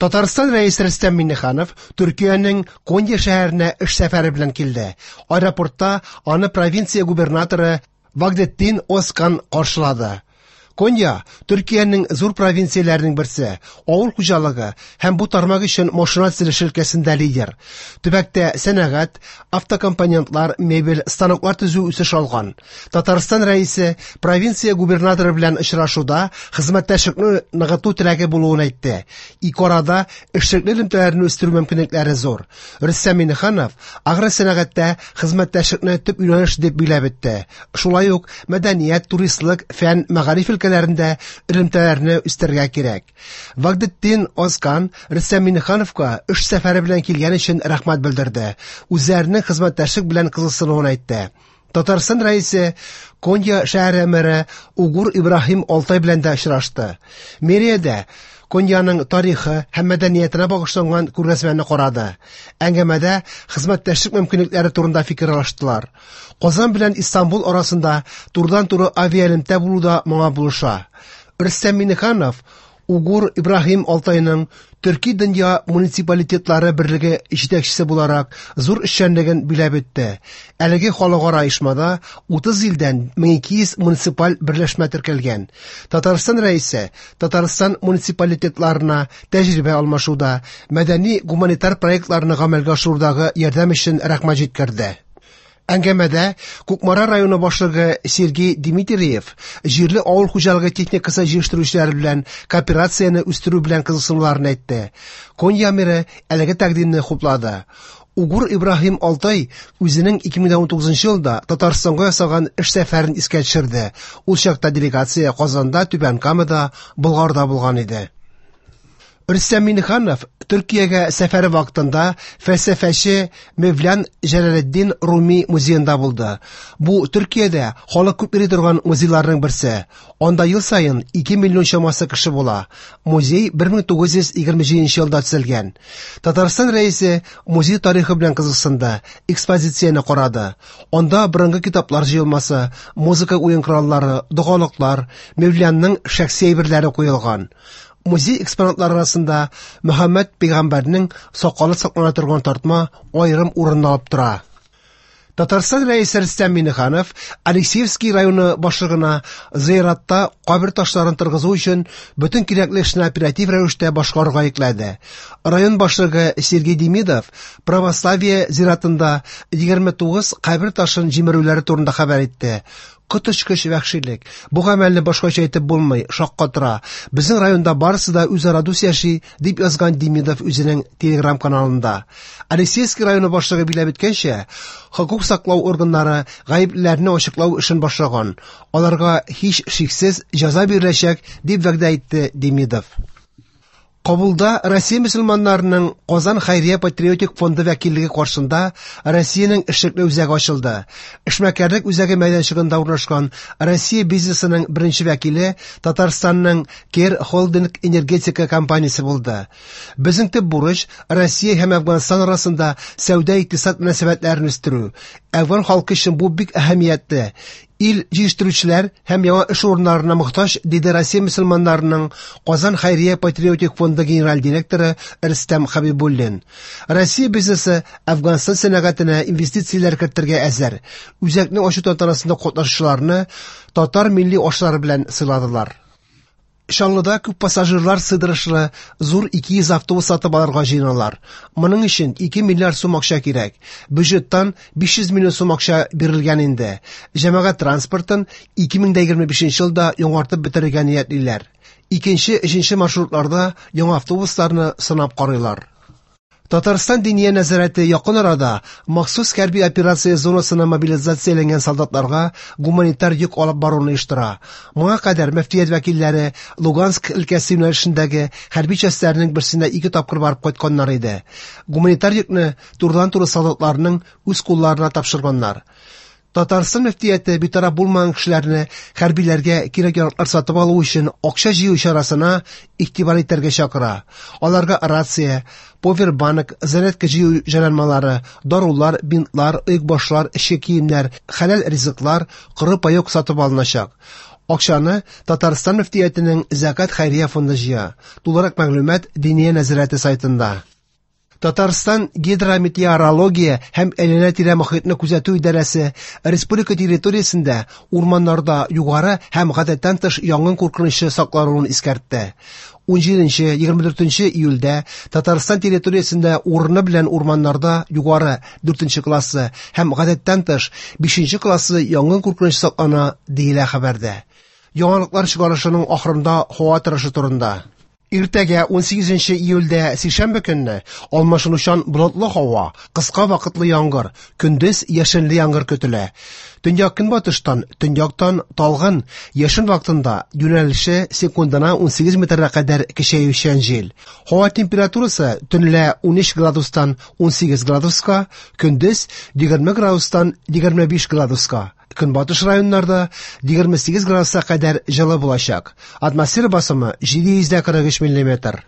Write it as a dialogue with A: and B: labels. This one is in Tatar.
A: Татарстан Рәисе Рөстәм Миңнеханов Төркиянең Конья шәһәренә эш сәфәре белән килде. Аэропортта аны провинция губернаторы Вагдеттин Озкан каршылады. Конья Төркиянең зур провинцияләренең берсе, авыл хуҗалыгы һәм бу тармак өчен машина төзелеше өлкәсендә лидер. Төбәктә сәнәгать, автокомпонентлар, мебель, станоклар төзү үсеш алган. Татарстан Рәисе провинция губернаторы белән очрашуда хезмәттәшлекне ныгыту теләге булуын әйтте. Ике арада эшлекле элемтәләрне үстерү мөмкинлекләре зур. Рөстәм Миңнеханов агросәнәгатьтә хезмәттәшлекне төп юнәлеш дип билгеләп үтте. Шулай ук мәдәният, туристлык, фән, мәгариф өлкәләрендә элемтәләрне үстерергә кирәк. Вагдеттин Озкан Рөстәм Миңнехановка эш сәфәре белән килгән өчен рәхмәт белдерде. Үзләренең хезмәттәшлек белән кызыксынуын әйтте. Татарстан Рәисе Конья шәһәре мэры Угур Ибраһим Алтай белән дә очрашты. Мэриядә Коньяның тарихы һәм мәдәниятенә багышланган күргәзмәне карады. Әңгәмәдә хезмәттәшлек мөмкинлекләре турында фикер алыштылар. Казан белән Истанбул арасында турыдан-туры авиаэлемтә булу да моңа булыша. Рөстәм Миңнеханов Угур Ибраһим Алтайның Төрки дөнья муниципалитетлары берлеге җитәкчесе буларак зур эшчәнлеген биләп үтте. Әлеге халыкара оешмада 30 илдән 1200 муниципаль берләшмә теркәлгән. Татарстан Рәисе Татарстан муниципалитетларына тәҗрибә алмашуда, мәдәни-гуманитар проектларны гамәлгә ашырудагы ярдәм өчен рәхмәт җиткерде. Әңгәмәдә Кукмара районы башлыгы Сергей Дмитриев җирле авыл хуҗалыгы техникасы җыештыручылар белән кооперацияне үстерү белән кызыксынуларын әйтте. Конья мэры әлеге тәкъдимне хуплады. Угур Ибраһим Алтай үзенең 2019 елда Татарстанга ясаган эш сәфәрен искә төшерде. Ул чакта делегация Казанда, Түбән Камада, Болгарда булган иде. Рөстәм Миңнеханов Төркиягә сәфәре вакытында фәлсәфәче Мевлян Җәләлетдин Руми музеенда булды. Бу Төркиядә халык күп йөри торган музейларның берсе. Анда ел саен 2 миллион чамасы кеше була. Музей 1927 елда төзелгән. Татарстан Рәисе музей тарихы белән кызыксынды, экспозицияне карады. Анда борынгы китаплар җыелмасы, музыка уен кораллары, догалыклар, Мевлянның шәхси әйберләре куелган. Музей экспонатлары арасында Мөхәммәд пәйгамбәрнең сакалы саклана торган тартма аерым урын алып тора. Татарстан Рәисе Рөстәм Миңнеханов Алексеевский районы башлыгына зыяратта кабер ташларын торгызу өчен бөтен кирәкле эшне оператив рәвештә башкарырга йөкләде. Район башлыгы Сергей Демидов православие зиратында 29 кабер ташын җимерүләре турында хәбәр итте. Коточкыч вәхшилек. Бу гамәлне башкача әйтеп булмый, шаккатыра. Безнең районда барысы да үзара дус яши, дип язган Демидов үзенең Телеграм-каналында. Алексеевский районы башлыгы билгеләп үткәнчә, хокук саклау органнары гаеплеләрне ачыклау эшен башлаган. Аларга һич шиксез җәза биреләчәк, дип вәгъдә итте Демидов. Кабулда Россия мөселманнарының Казан хәйрия патриотик фонды вәкиллеге каршында Россиянең эшлекле үзәге ачылды. Эшмәкәрлек үзәге мәйданчыгында урнашкан Россия бизнесының беренче вәкиле Татарстанның Кер Холдинг энергетика компаниясе булды. Безнең төп бурыч Россия һәм Әфганстан арасында сәүдә-икътисад мөнәсәбәтләрен үстерү. Әфган халкы өчен бу бик әһәмиятле. Ил җитештерүчеләр һәм яңа эш урыннарына мохтаҗ, диде Россия мөселманнарының Казан хәйрия патриотик фонды генераль директоры Рөстәм Хәбибуллин. Россия бизнесы Әфганстан сәнәгатенә инвестицияләр кертергә әзер. Үзәкне ачу тантанасында катнашучыларны татар милли ашлары белән сыйладылар. Чаллыда күп пассажирлар сыйдырышлы зур 200 автобус сатып алырга җыеналар. Моның өчен 2 миллиард сум акча кирәк. Бюджеттан 500 миллион сум акча бирелгән инде. Җәмәгать транспортын 2025 елда яңартып бетерергә ниятлиләр. Икенче, өченче маршрутларда яңа автобусларны сынап карыйлар. Татарстан Диния нәзарәте якын арада махсус хәрби операция зонасына мобилизацияләнгән солдатларга гуманитар йөк алып баруны оештыра. Моңа кадәр мөфтият вәкилләре Луганск өлкәсе юнәлешендәге хәрби частьләрнең берсенә 2 тапкыр барып кайтканнар иде. Гуманитар йөкне турыдан-туры солдатларның үз кулларына тапшырганнар. Татарстан мөфтияте битараф булмаган кешеләрне хәрбиләргә кирәк-яраклар сатып алу өчен акча җыю чарасына игътибар итәргә чакыра. Аларга рация, повербанк, зарядка җыю җайланмалары, дарулар, бинтлар, оекбашлар, эчке киемнәр, хәләл ризыклар, коры паёк сатып алыначак. Акчаны Татарстан мөфтиятенең Зәкят хәйрия фонды җыя. Тулырак мәгълүмат Диния нәзарәте сайтында. Татарстан гидрометеорология һәм әйләнә-тирә мохитне күзәтү идарәсе республика территориясендә урманнарда югары һәм гадәттән тыш янгын куркынычы саклануын искәртте. 17-24 июльдә Татарстан территориясендә урыны белән урманнарда югары 4 классы һәм гадәттән тыш 5 классы янгын куркынычы саклана, диелә хәбәрдә. Яңалыклар чыгарылышының ахырында һава торышы турында. Иртәгә 18 июльдә сишәмбе көнне алмашынучан болытлы һава, кыска вакытлы яңгыр, көндез яшенле яңгыр көтелә. Төньяк-көнбатыштан, төньяктан талгын, яшен вакытында юнәлеше секундына 18 метрга кадәр көчәючән җил. Һава температурасы төнлә 13 градустан 18 градуска, көндез 20 градустан 25 градуска. Көнбатыш районнарда 28 градуска кадәр җылы булачак. Атмосфера басымы 743 миллиметр.